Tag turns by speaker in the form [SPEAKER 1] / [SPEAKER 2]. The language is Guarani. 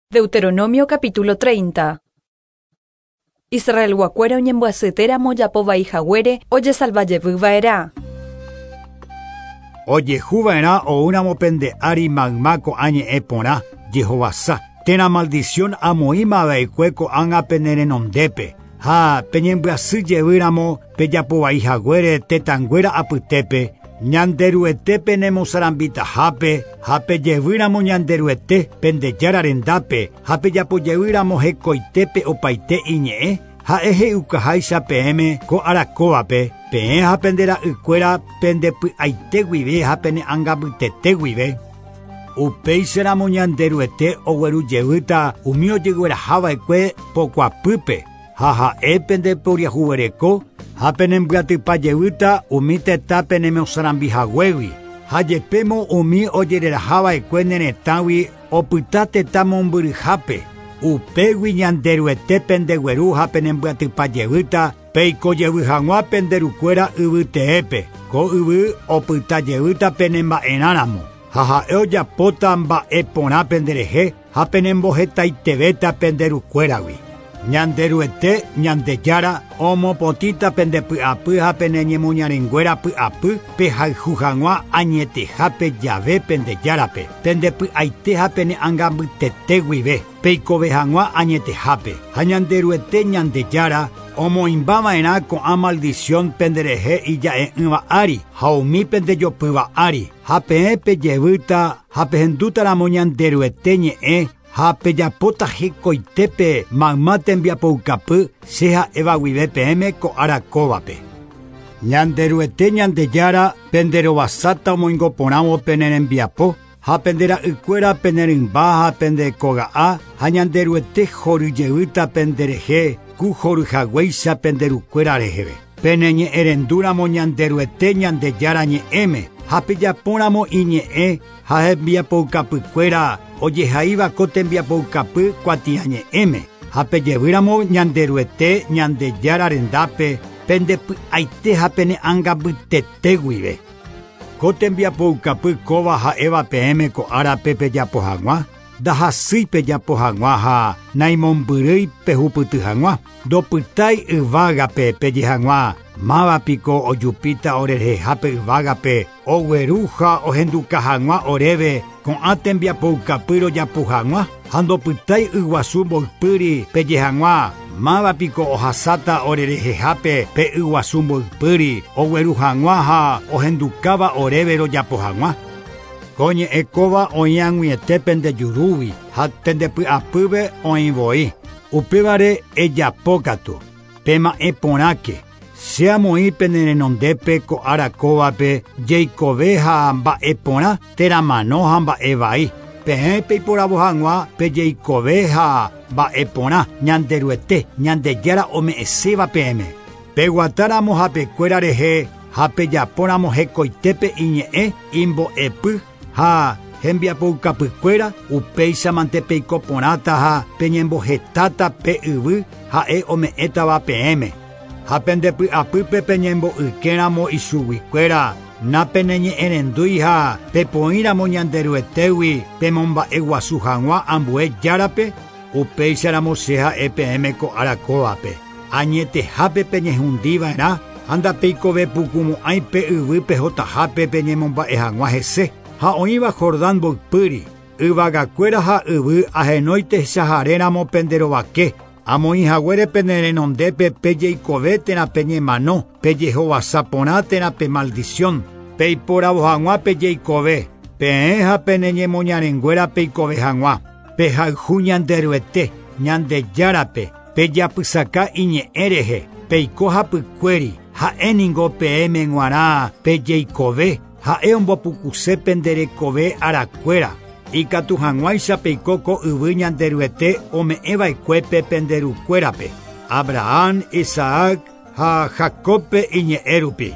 [SPEAKER 1] Deuteronomio capítulo 30. Israelguakuéra oñembyasyetéramo ojapo vai haguére ojesalva jevy va'erã.
[SPEAKER 2] Ojehu va'erã oúramo pende ári mayma ko'ã ñe'ẽ porã, jehovasa, térã maldición amoĩma va'ekue ko'ág̃a pene renondépe, ha peñembyasy jevýramo pejapo vai haguére tetãnguéra apytépe, Ñanderuete penemosarambitahápe ha pejevýramo Ñanderuete pende Jára rendápe ha pejapo jevýramo hekoitépe opaite iñe'ẽ, ha'e he'iukaháicha peẽme ko ára kóvape, peẽ ha pende ra'ykuéra pende py'aite guive ha pene ãngambytete guive. Upéicharamo Ñanderuete oguerujevýta umi ojeguerahava'ekue pokuapýpe ha ha'e pende poriahuvereko ha penembyatýpa umi tetã penemosarambihaguégui ha jepémo umi ojererahava'ekue ne retãgui opyta tetã mombyryhápe upégui Ñanderuete pendegueru ha penembyatýpa peiko jevy hag̃ua pende rukuéra yvyteépe ko yvy opyta jevýta penemba'erãramo ha ha'e ojapóta mba'e porã penderehe ha penembohetaitevéta pende rukuéragui. Ñanderuete Ñandejára omopotĩta pende py'apy ha pene ñemoñarenguéra py'apy pehayhu hag̃ua añetehápe jave pende Járape, pende py'aite ha pene ãngambytete guive, peikove hag̃ua añetehápe. Ha Ñanderuete Ñandejára omoĩmbava'erã ko'ã maldición penderehe ija'e'ỹva ári ha umi pendejopýva ári ha peẽ pejevýta ha pehendútaramo Ñanderuete ñe'ẽ ha pejapóta hekoitépe mayma tembiapoukapy che ha'éva guive peẽme ko ára kóvape. Ñanderuete Ñandejára penderovasáta omoingoporãvo pene rembiapo ha pende ra'ykuéra pene rymba ha pende koga'a ha Ñanderuete horyjevýta penderehe ku horyhaguéicha pende rukuéra reheve. Pene ñe'ẽrendúramo Ñanderuete Ñandejára ñe'ẽme ha pejapóramo iñe'ẽ ha hembiapoukapykuéra ojehaíva ko tembiapoukapy kuatiañe'ẽme ha pejevýramo Ñanderuete Ñandejára rendápe pende py'aite ha pene ãngambytete guive. Ko tembiapoukapy kóva ha'éva peẽme ko árape pejapo hag̃ua, ndahasýi pejapo hag̃ua ha naimombyrýi pehupyty hag̃ua. Ndopytái yvágape peje hag̃ua mávapiko ojupíta orerehehápe yvágape ogueru ha ohenduka hag̃ua oréve ko'ã tembiapoukapy rojapo hag̃ua ha ndopytái yguasu mboypýri peje hag̃ua mávapiko ohasáta orerehehápe pe yguasu mboypýri ogueru hag̃ua ha ohendukáva oréve rojapo hag̃ua. Ko ñe'ẽ kóva oĩ ag̃uiete pende jurúgui ha pende py'apýpe oĩ voi. Upévare ejapókatu, pema'ẽ porãke, che amoĩ pene renondépe ko ára kóvape jeikove ha mba'e porã térã mano ha mba'e vai. Peẽ peiporavo hag̃ua pejeikove ha mba'e porã Ñanderuete Ñandejára ome'ẽséva peẽme. Peguatáramo hapekuéra rehe ha pejapóramo hekoitépe iñe'ẽ imbo'epy ha hembiapoukapykuéra upéichamante peiko porãta ha peñembohetáta pe yvy ha'e ome'ẽtava peẽme. Ha pende py'apýpe peñembo'ykéramo ichuguikuéra napeneñe'ẽrendúi ha pepoĩramo Ñanderuetégui pemomba'eguasu hag̃ua ambue járape upéicharamo che ha'e peẽme ko ára kóvape. Añetehápe peñehundiva'erã ha ndapeikove pukumo'ãi pe yvy pehotahápe peñemomba'e hag̃ua hese. Ha oĩva Jordán mboypýri, yvagakuéra ha yvy ahenói techaharéramo penderovake, amoĩ haguére pene renondépe pejeikove térã peñemano, pejehovasa porã térã pe maldición, peiporavo hag̃ua pejeikove, peẽ ha pene ñemoñarenguéra peikove hag̃ua, pehayhu Ñanderuete, Ñandejárape, pejapysaka iñe'ẽ rehe, peiko hapykuéri, ha'éningo peẽme g̃uarã pejeikove, ha'e ombopukuse penderekove arakuéra. Ikatu hag̃uáicha peiko ko yvy Ñanderuete ome'ẽva'ekuépe pende rukuérape, Abraham, Isaac ha Jacobpe iñe'ẽ rupi.